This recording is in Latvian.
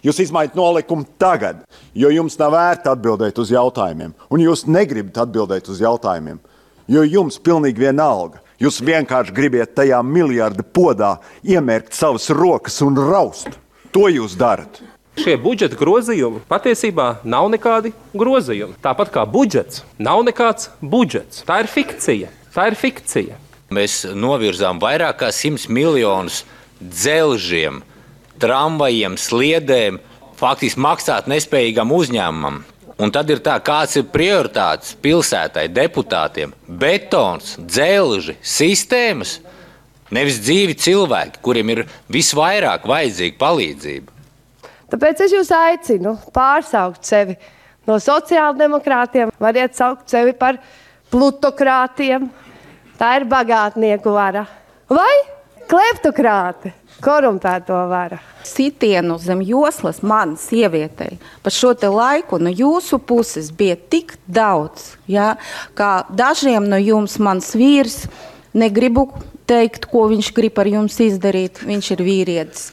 Jūs izmaiņat nolikumu tagad, jo jums nav vērti atbildēt uz jautājumiem. Un jūs negribat atbildēt uz jautājumiem, jo jums pilnīgi vienalga. Jūs vienkārši gribiet tajā miljardu podā iemērkt savas rokas un raust. To jūs darat. Šie budžeta grozījumi patiesībā nav nekādi grozījumi. Tāpat kā budžets nav nekāds budžets. Tā ir fikcija. Mēs novirzām vairāk kā 100 miljonus dzelžiem, tramvajiem, sliedēm, faktiski maksāt nespējīgam uzņēmumam. Un tad ir tā, kāds ir prioritātes pilsētai, deputātiem. Betons, dzelži, sistēmas, nevis dzīvi cilvēki, kuriem ir visvairāk vajadzīga palīdzība. Tāpēc es jūs aicinu pārsaukt sevi no sociāldemokrātiem, variet saukt sevi par plutokrātiem. Tā ir bagātnieku vara. Vai kleptokrāti, korumpēto vara. Sitienu zem joslas man, sievietei, pa šo te laiku no jūsu puses bija tik daudz, ja, kā dažiem no jums mans vīrs, negribu teikt, ko viņš grib ar jums izdarīt, viņš ir vīrietis.